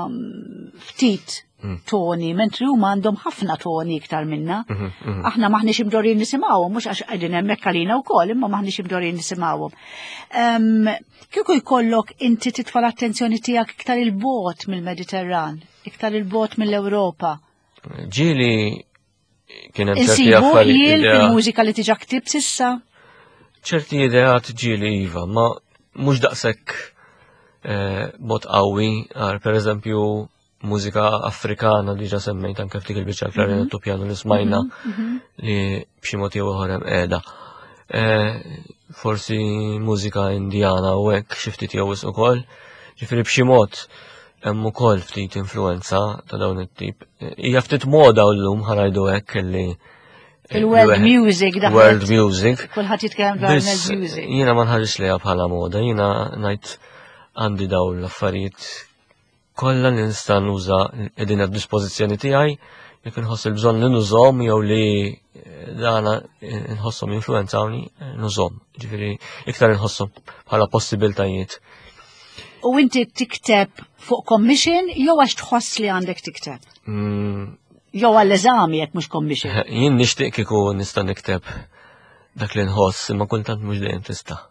ftit. toni, mentri huma għandhom ħafna toni iktar minna. Aħna maħniex imdorrin nisimgħuhom, mhux għax qegħdin hemmhekk għalina wkoll, imma maħniex imdorrin nisimgħuhom. Kieku jkollok inti titfa' l-attenzjoni tiegħek iktar il-bot mill-Mediterran, iktar il-bot mill-Ewropa. Ġieli kien hemm ċerti affarijiet. fil-mużika li tiġa ktib sissa? ċerti ideat ġieli iva, ma mhux daqshekk eh, mod qawwi, għar pereżempju mużika Afrikana li ġa semmejt anke ftik il-biċċa klarinettu mhm. pjanu li smajna mhm, mhm. li b'xi mod jew ieħor hemm qiegħda. Eh, forsi mużika Indjana u hekk xi ftit jew wisq ukoll, ġifieri b'xi mod hemm ukoll ftit influenza ta' dawn it-tip. Hija ftit moda llum ħanajdu hekk li Il-world music da. World music. Kulħadd jitkellem dwar world music. Jiena ma nħares lejha bħala moda, jiena ngħid għandi dawn l-affarijiet kollha li nista' nuża qegħdin għad-dispożizzjoni tiegħi jekk inħoss il-bżonn li nużhom jew li eh, dana nħosshom influenzawni eh, nużhom. Ġifieri iktar inħosshom bħala possibiltajiet. U inti tikteb fuq commission jew għax tħoss li għandek tikteb? Jew għall-eżami jekk mhux commission. Jien nixtieq kieku nista' nikteb dak li nħoss, imma kultant mhux dejjem tista'.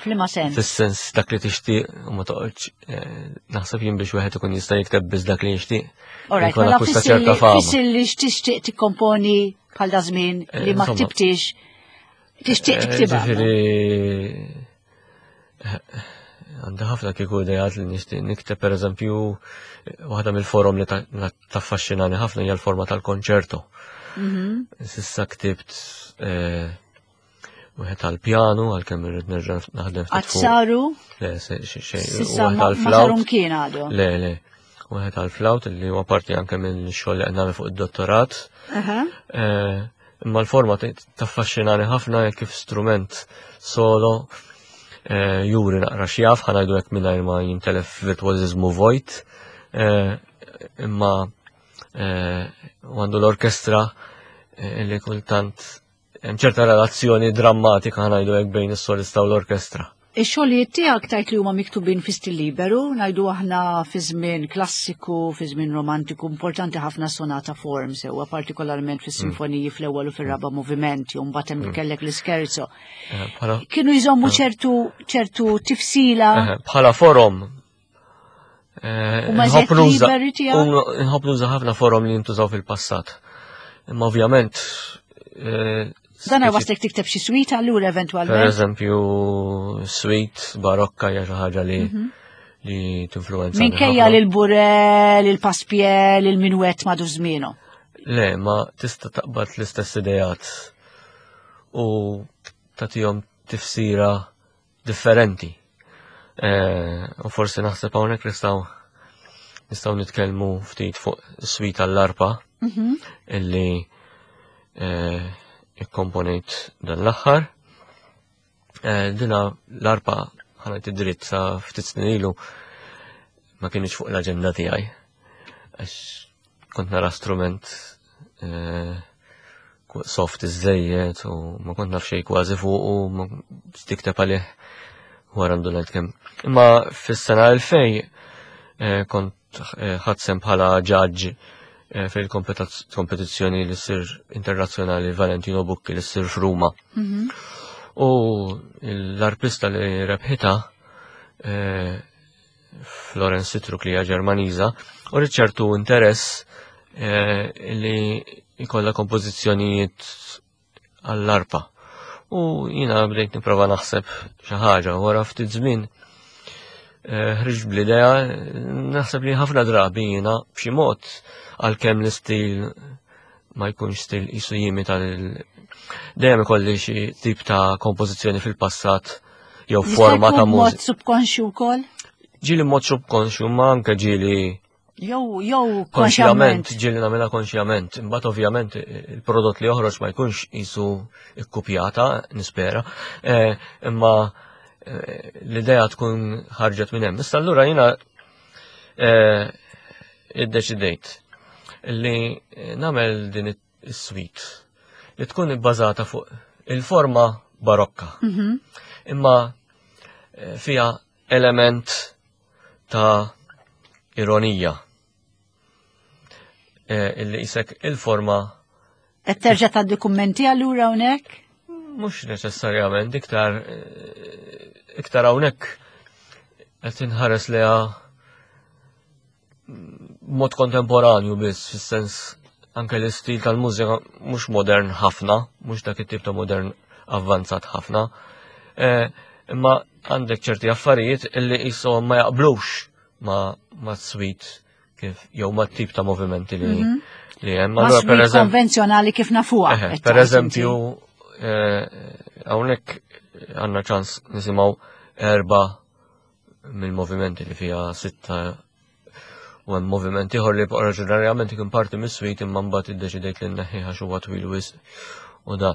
F'liema sens? Fis-sens dak li tixtieq u ma toqgħodx eh, naħseb jien biex wieħed ikun jista' jikteb biss dak li jixtieq. Alright, mela fissi li x'tixtieq tikkomponi bħal da żmien eh, li ma ktibtix tixtieq eh, tiktibha. Ġifieri għandi ħafna kieku idejat li nixtieq nikteb pereżempju waħda mill-forum li taffaxxinani ħafna hija l-forma tal-konċerto. Sissa ktibt wieħed għall-pjanu għalkemm irrid nerġa' naħdem ftit fuq. Saru? Le, xejn. Sissa ma saru mkien għadu. Le, le. Wieħed għall-flawt li huwa parti anke minn xogħol li qed nagħmel fuq id-dottorat. Eh, imma l-forma taffaxxinani ħafna kif strument solo eh, juri naqra xjaf ħanajdu hekk mingħajr ma jintelef virtuożiżmu vojt. Eh, imma għandu l-orkestra li kultant Hemm ċerta relazzjoni drammatika ngħidu hekk bejn is-solista u l-orkestra. Ix-xogħlijiet tiegħek tajt li huma miktubin fi stil liberu, ngħidu aħna fi żmien klassiku, fi żmien romantiku, importanti ħafna sonata form sewwa partikolarment fis-sinfoniji mm. fl-ewwel u fir-raba' movimenti, u mbagħad hemm mm. kellek l-iskerzo. Eh, Kienu jżommu eh. ċertu ċertu tifsila. Eh, bħala forom Nħobb nuża ħafna forom li jintużaw fil-passat. Imma ovvjament. Eh, Dan waslek tikteb xi suite allura eventwalment. Per eżempju, suite barokka hija xi ħaġa li mhm. li tinfluenza. Minkejja lil burel, il-paspiel, il-minwet madu żmienu. Le, ma tista' taqbad l-istess idejat u tagħtihom tifsira differenti. Eh, u forsi naħseb hawnhekk nistgħu nistgħu nitkellmu ftit fuq is-swita tal-arpa mhm. illi eh, ikkomponejt dan l-aħħar. Eh, dina l-arpa ħanajt id-dritt sa ftit snin ilu ma kienx fuq l-aġenda tiegħi. Għax kont nara strument eh, soft iżejjed u ma kont naf xejn kważi fuq u ma tikteb għalih wara ndunajt kemm. Imma fis-sena 2000 eh, kont eh, ħadsem bħala ġaġġ fil-kompetizzjoni li ssir internazzjonali Valentino Bucchi li ssir f'Ruma. Mhm. U l-arpista li rebħita Florence Sitruk li hija Ġermaniża, u rrid ċertu interess eh, li jkollha kompożizzjonijiet għall-arpa. U jina bdejt nipprova naħseb xi ħaġa wara ftit żmien eh, ħriġt bl-idea naħseb li ħafna drabi jiena b'xi mod għalkemm l-istil ma jkunx stil jisu jimi tal dejjem ikolli xi tip ta' kompożizzjoni fil-passat jew forma ta' mużika. Mod subkonxju wkoll? Ġieli mod subkonxju ma anke ġieli Jew jew konxjament, ġieli nagħmilha konxjament. Imbagħad ovvjament il-prodott li joħroġ ma jkunx jisu ikkupjata, nispera, eh, imma eh, l-idea tkun ħarġet minn hemm. Issa allura jiena eh, iddeċidejt li nagħmel din is-suite li tkun ibbażata fuq il-forma barokka. Mhm. Imma eh, fiha element ta' ironija. eh, illi isek il-forma. Qed terġa' tgħaddi kummenti allura hawnhekk? Mhux neċessarjament, iktar eh, iktar hawnhekk qed inħares leha mod kontemporanju biss, fis-sens anke l-istil tal-mużika mhux modern ħafna, mhux dak it-tip ta' modern avvanzat ħafna. Eh, imma għandek ċerti affarijiet illi jisom ma jaqblux ma, ma sweet kif jew ma tip ta' movimenti li mhm. li hemm. Allura per eżempju konvenzjonali kif nafuha. Per eżempju, eh, hawnhekk għandna ċans nisimgħu erba' mill-movimenti li fiha sitta u hemm moviment ieħor li oriġinarjament kien parti mis-suite imma mbagħad iddeċidejt li nneħħih għax huwa twil wisq u da.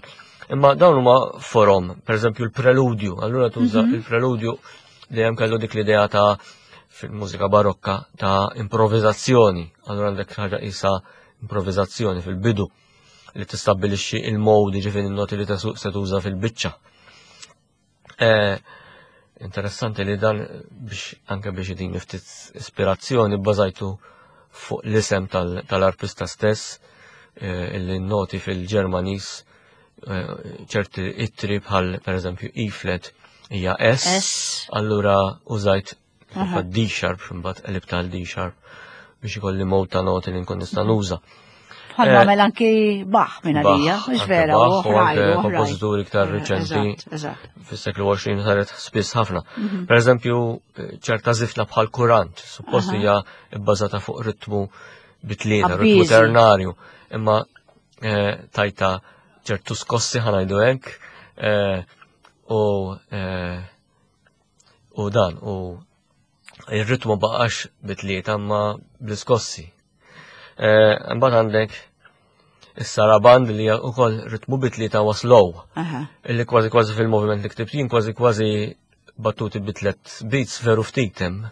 Imma dawn huma forom, pereżempju l-preludju, allura tuża mhm. il-preludju dejjem kellu dik l-idea ta' fil-mużika barokka ta' improvvizazzjoni, allura għandek ħaġa isa improvvizazzjoni fil-bidu li tistabbilixxi il-modi ġifieri n-noti li se tuża fil-biċċa. Eh, interessanti li dan biex anke biex din ftit ispirazzjoni bbażajtu fuq l-isem tal-artista stess eh, illi noti fil-Ġermanis eh, ċerti ittri bħal per eżempju E-flat hija S, allura użajt D sharp imbagħad qlib tal D sharp biex ikolli mod ta' noti li nkun nista' nuża. Bħal eh, għamel anki Bach minn għalija, mhux vera, u anke kompożituri iktar eh, riċenti fis-seklu 20 saret spiss ħafna. Mhm. Per eżempju, ċerta zifna bħal kurant, suppost hija bbażata fuq ritmu bitlieta, ritmu ternarju, imma eh, tajta ċertu skossi ħanajdu hekk u U dan, u il-ritmu baqax bitlieta ma bl-iskossi. Eh, mbagħad għandek is-saraband li wkoll ritmu bitlieta huwa slow. Illi kważi kważi fil-moviment li ktibt jien kważi kważi battuti bitlet beats veru ftit hemm.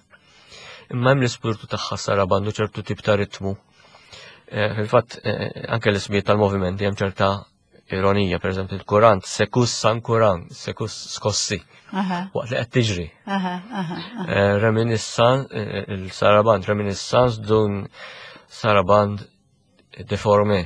Imma hemm l-ispirtu tagħha saraband u ċertu tip ta' ritmu. Eh, fil-fatt eh, anke l-ismijiet tal-movimenti hemm ċerta ironija, per eżempju, il-kurant, sekus san kuran, sekus skossi, waqt li qed tiġri. Eh, reminissan, eh, il-saraband, reminiscence dun saraband deforme.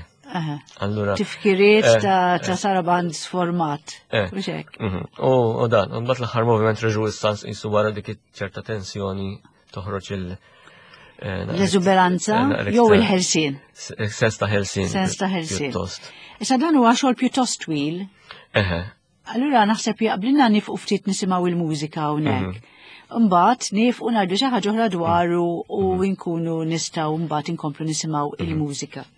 Allura. Tifkiriet eh, ta' saraband sformat. Mhm. U dan, u mbagħad l-aħħar moviment reġuistans jisu wara dik ċerta tensjoni toħroġ il- eh, L-eżuberanza eh, jew il-ħelsien. Sens ta' ħelsien. Sens ta' ħelsien. Issa dan huwa xogħol pjuttost twil. Eħe. Allura naħseb jaqblilna nifqu ftit nisimgħu il-mużika hawnhekk. Mhm. Mbagħad nifqu ngħidu xi ħaġa oħra dwaru u mhm. nkunu nistgħu mbagħad inkomplu nisimgħu mhm. il-mużika.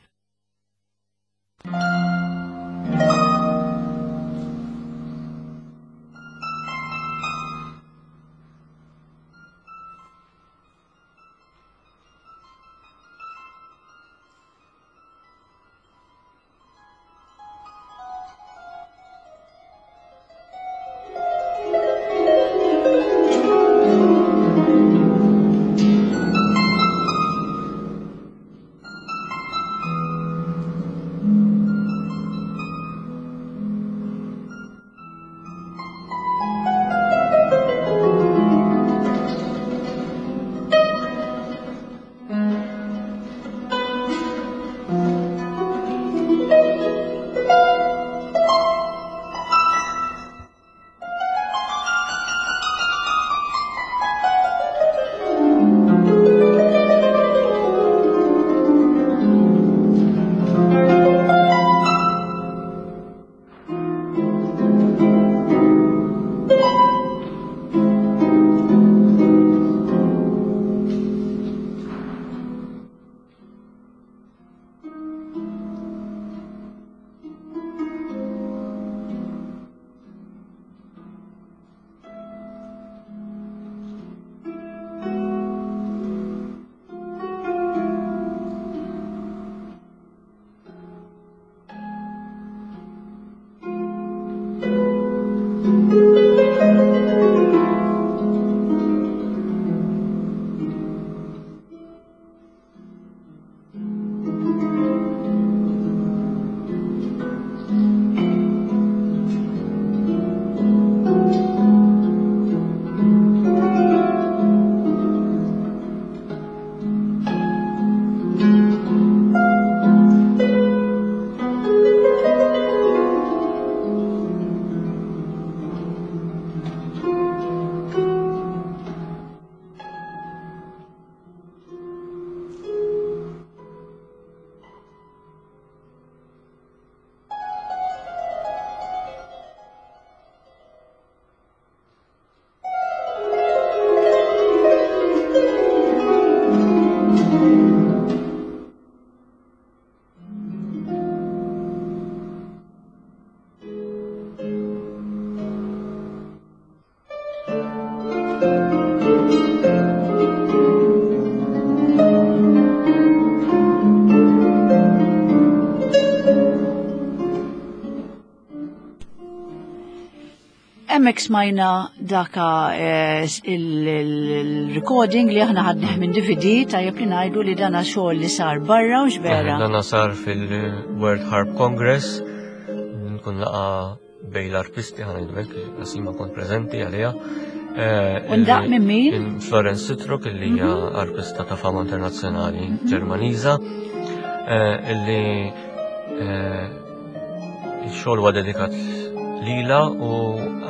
Hemmhekk smajna daka eh, il-recording li aħna ħadnih minn DVD tajjeb li ngħidu li dana xogħol li sar barra u x'vera. Dana sar fil-World Harp Congress, nkun laqa bej l-arpisti ħana hekk, għasima kont preżenti għaliha. Eh, Undaq minn min? Florence Sitruk, illi hija mhm. arpista ta' fama internazzjonali mhm. Ġermaniża, eh, illi Ix-xogħol huwa dedikat lila u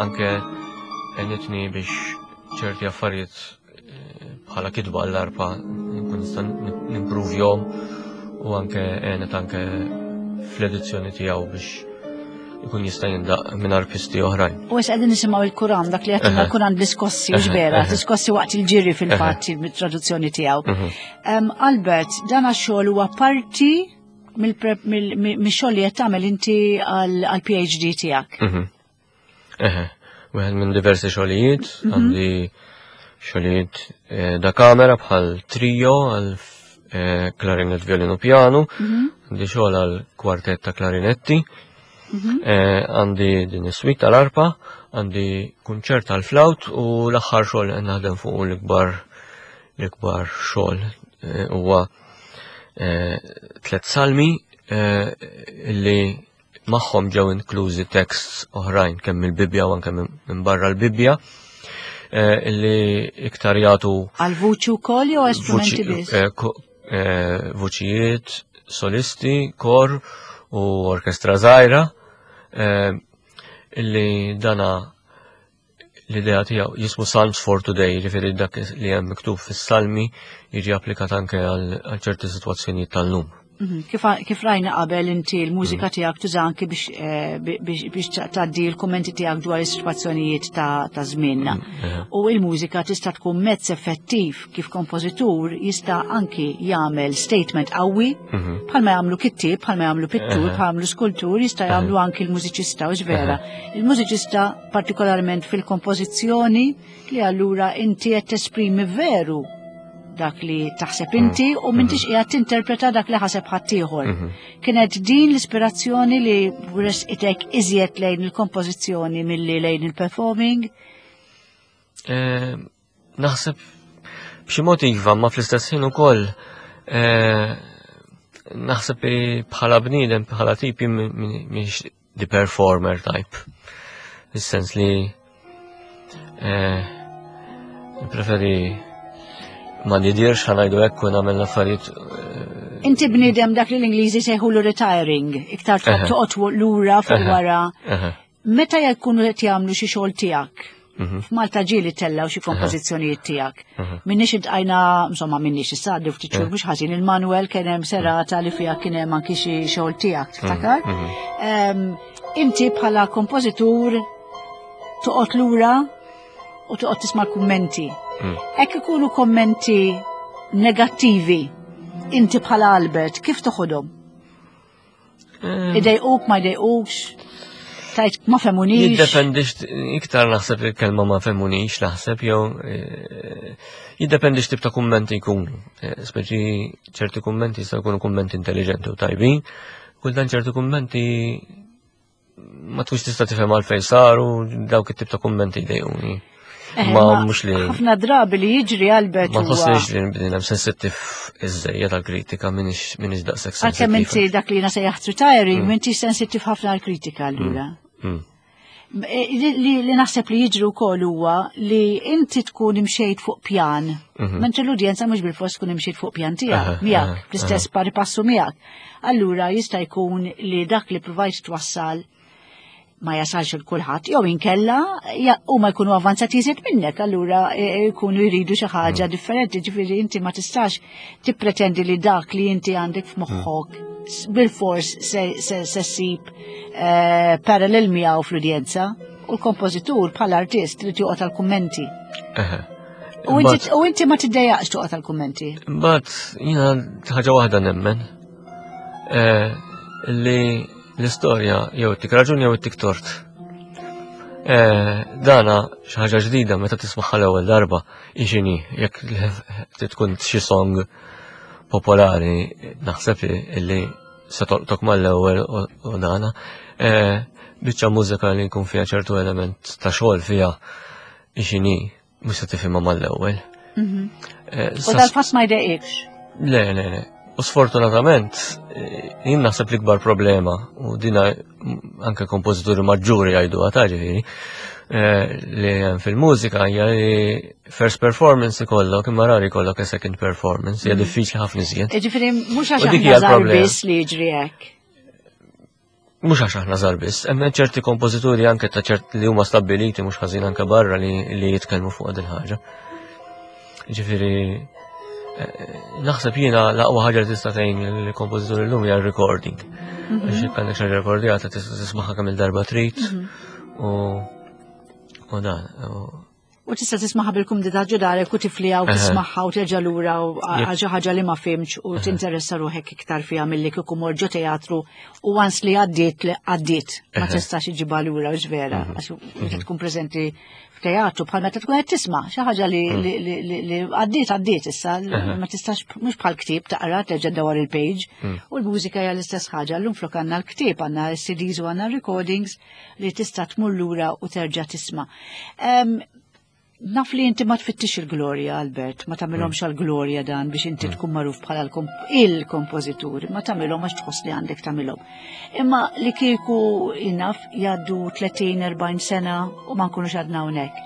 anke għenitni biex ċerti affarijiet eh, bħala kitba għall-arpa nkun nista' nimpruvjhom u anke għenet anke fl-edizzjoni tiegħu biex ikun jista' jindaq minn arpisti oħrajn. U issa qegħdin nisimgħu il-Kuran dak li qed il-Kuran bl-iskossi u vera, l-iskossi waqt il-ġiri fil-fatt mit-traduzzjoni tiegħu. Mhm. Albert, dan għax-xogħol huwa parti mix-xogħol li qed tagħmel inti għall-PhD tiegħek. Mhm. Eħe, wieħed minn diversi xogħlijiet, mhm. għandi xogħlijiet eh, da kamera bħal trio għal eh, klarinet, violin u piano, mhm. għandi xogħol għal kwartett ta' klarinetti, eh, għandi din is-suite tal-arpa, għandi kunċert tal-flaut u l-aħħar xogħol qed naħdem fuq l-ikbar l-ikbar xogħol huwa Eh, tlet salmi eh, li magħhom ġew inklużi texts oħrajn kemm mill-Bibbja u anke minn barra l-Bibbja eh, li iktar jagħtu għal vuċi wkoll jew strumenti biss? Vuċijiet, solisti, kor u orkestra żgħira illi dana l-idea tiegħu jismu Psalms for Today, jiġifieri dak li hemm miktub fis-salmi jiġi applikat anke għal ċerti sitwazzjonijiet tal-lum. Mhm. Kif rajna qabel inti l-mużika mhm. tiegħek tuża anki biex eh, biex tgħaddi l-kummenti tiegħek dwar is-sitwazzjonijiet ta' żmienna. Mhm. U l-mużika tista' tkun mezz effettiv kif kompożitur jista' anki jagħmel statement qawwi bħalma jagħmlu kittieb, bħalma jagħmlu pittur, bħalma jagħmlu skultur, jista' jagħmlu anki l-mużiċista u vera. Il-mużiċista partikolarment fil-kompożizzjoni li allura inti qed tesprimi veru dak li taħseb mm. inti u m'intix mm. qiegħed tinterpreta dak li ħaseb ħaddieħor. Mm-hmm. Kienet din l-ispirazzjoni li resqitek iżjed lejn il-kompożizzjoni milli lejn il-performing? Eh, Naħseb b'xi mod iva, ma fl-istess ħin ukoll eh, naħseb bħala bniedem, bħala tipi mhix the performer type. Fis-sens li eh, preferi ma nidirx ħanajdu hekk u nagħmel l-affarijiet. Eh, Inti bniedem dak li l-Ingliżi sejħulu retiring, iktar toqgħod lura fuq wara. Meta jkunu qed jagħmlu xi xogħol tiegħek, mhm. f'Malta ġieli tellaw xi kompożizzjonijiet tiegħek. Mhm. Minniex intqajna, insomma minniex issa għaddu ftit xhur mhux ħażin il-Manuel kien hemm serata li fiha kien hemm anki xi xogħol tiegħek, tiftakar? Mhm. Inti bħala kompożitur toqgħod lura u toqgħod tisma' l-kummenti. Mm. Hekk ikunu kommenti negattivi, inti bħala Albert, kif toħodhom? Eh. Idejquk, ma jdejqukx, tajt ma femunix. Jiddependi iktar naħseb il-kelma ma femunix, naħseb jew eh, jiddependi x'tip ta' kummenti jkunu. Eh, speċi ċerti kummenti jistgħu jkunu kummenti intelligenti u tajbin, kultant ċerti kummenti ma tkunx tista' tifhem għalfejn saru dawk it-tip ta' kummenti jdejquni. Eh, ma mhux li. Ħafna drabi li jiġri Albert. Ma tħossniex li bnidem sensittiv iżżejjed għall-kritika minix daqshekk sensittiv. Għalkemm inti dak li jiena sejjaħt retiring, mm. m'intix sensittiv ħafna għall-kritika allura. Mm. Mm. Eh, li naħseb li jiġri wkoll huwa li inti tkun imxejt fuq pjan, mhm. mentri l-udjenza mhux bil-fors tkun imxejt fuq pjan tiegħek, miegħek, fl-istess pari passu miegħek. Allura jista' jkun li dak li provajt twassal ma jasalx il kulħadd jew inkella huma jkunu avanzati iżjed minnek, allura e, e, jkunu jridu xi ħaġa mm. differenti, ġifieri inti ma tistax tippretendi li dak li inti għandek f'moħħok mm. bil-fors se ssib e, parallel miegħu fl-udjenza u l-kompożitur bħala artist li joqgħod għall-kummenti. U inti ma tiddejjaqx toqgħod għall-kummenti. Mbagħad jiena ħaġa waħda nemmen li L-istorja jew tik raġun jew tik tort. Eh, dana xi ħaġa ġdida meta tismaħħa l-ewwel darba ixini jekk tkun xi song popolari naħseb illi se tolqtok mal-ewwel u dana. Eh, biċċa mużika li jkun fiha ċertu element ta' xogħol fiha x'inhi mhux se tifhimha mal-ewwel. Mhm. Eh, u dal-fatt ma jdejqikx? Le, le, le. U sfortunatament, eh, jien naħseb l-ikbar problema, u dina anke kompożituri maġġuri jgħidu għata ġifieri, eh, li hemm fil-mużika hija li first performance ikollok imma rari jkollok a second performance, hija mhm. diffiċli ħafna iżjed. Ġifieri mhux għax aħna biss li jiġri hekk. Mhux għax aħna żgħar biss, hemm ċerti kompożituri anke ta' ċert li huma stabbiliti mhux ħażin anke barra li, li jitkellmu fuq din ħaġa. Ġifieri eh, naħseb jiena l-aqwa ħaġa li tista' tgħin il-kompożituri llum hija recording. Mhm. Għax jekk għandek xi rekordjata tista' tismagħha kemm il-darba trid mhm. u u dan. U tista' tismaħha bil-kumdità ġo darek u tifliha u tismaħha u terġa' lura u għal xi ħaġa li ma fimx u tinteressa ruħek iktar fiha milli kieku mor ġo teatru u once li għaddiet li għaddiet ma tistax iġibha lura u vera mhm. għax meta mhm. tkun preżenti f'teatru bħal meta tkun qed tisma' xi ħaġa li mhm. għaddiet għaddiet issa ma tistax mhux bħal ktieb taqra terġa' dawar il-page u l-mużika hija l-istess ħaġa llum flok għandna l-ktieb għandna s-CDs u għandna recordings li tista' tmur lura u terġa' tisma'. Naf li inti ma tfittix il-glorja, Albert, ma tagħmilhomx mm. għall-glorja dan biex inti mm. tkun magħruf bħala il-kompożitur, ma tagħmilhom għax tħoss li għandek tagħmilhom. Imma li kieku naf jgħaddu 30-40 sena u ma nkunux għadna hawnhekk.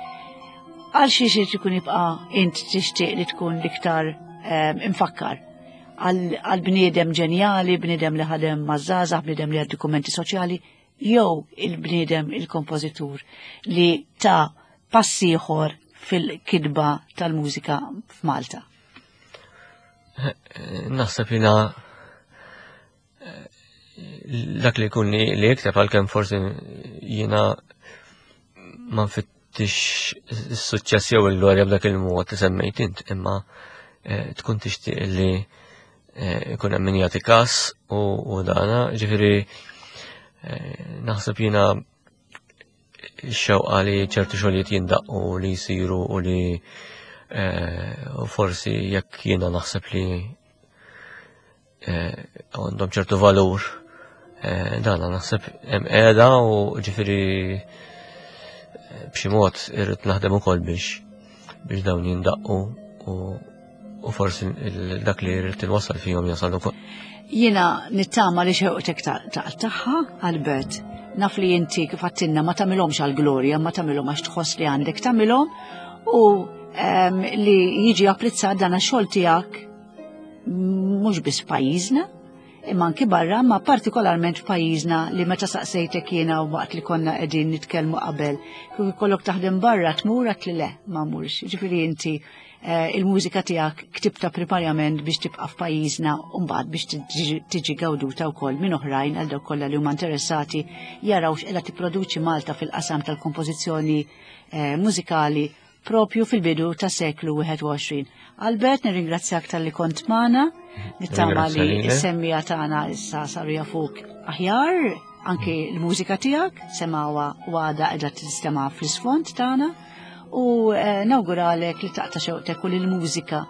Għal xi xi tkun jibqa' int tixtieq li tkun l-iktar infakkar għal bniedem ġenjali, bniedem li ħadem maż-żgħażagħ, bniedem li għad dokumenti soċjali, jew il-bniedem il-kompożitur li ta' pass ieħor fil-kidba tal-mużika f'Malta? Naħseb jina eh, dak li jkun li jikteb għalkemm forsi jiena ma nfittix is-suċċess jew il-glorja b'dak il-mod li semmejt int, imma eh, tkun tixtieq li eh, ikun hemm min jagħti każ u dana, ġifieri eh, naħseb jiena x-xewqa li ċertu xogħlijiet jindaqqu li jsiru u li forsi jekk jiena naħseb li Eh, għandhom ċertu valur. Eh, dan naħseb hemm qiegħda u ġifieri eh, b'xi mod irrid naħdem ukoll biex biex dawn jindaqqu u u forsi dak li rrid inwassal fihom jasal ukoll. Jiena nittama li xewqtek taqtaħħa, Albert. Naf li inti kif għattinna ma tagħmilhomx għall-glorja, ma tagħmilhom għax tħoss li għandek tagħmilhom u ehm, li jiġi apprezzat dan għax-xogħol tiegħek mhux biss f'pajjiżna, imma anki barra, ma partikolarment f'pajjiżna li meta saqsejtek jiena waqt li konna qegħdin nitkellmu qabel, kif ikollok taħdem barra tmur għat li le ma murx. Ġifieri inti eh, il-mużika tiegħek ktibta primarjament biex tibqa' f'pajjiżna u mbagħad biex tiġi gawduta wkoll minn oħrajn għal dawk kollha li huma interessati jaraw x'qiegħda tipproduċi Malta fil-qasam tal-kompożizzjoni eh, mużikali propju fil-bidu ta' seklu 21. Albert, nirringrazzjak tal-li kont magħna, nittama li s-semmija tagħna issa saru jafuk aħjar, anki l-mużika tiegħek semawa u għada qiegħda tistema fl-isfond tagħna u eh, nawguralek li taqta' xewqtek u li l-mużika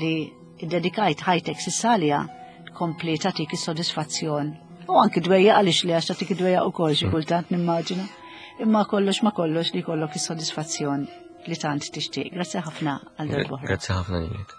li ddedikajt ħajtek s'issa tkompli tagħtik is-sodisfazzjon. U anki dwejja għaliex li għax tagħtik id-dwejja ukoll xi kultant nimmaġina. Imma kollox ma kollox li jkollok is-sodisfazzjon li tant tixtieq. Grazzi ħafna għal darba. Grazzi ħafna lilek.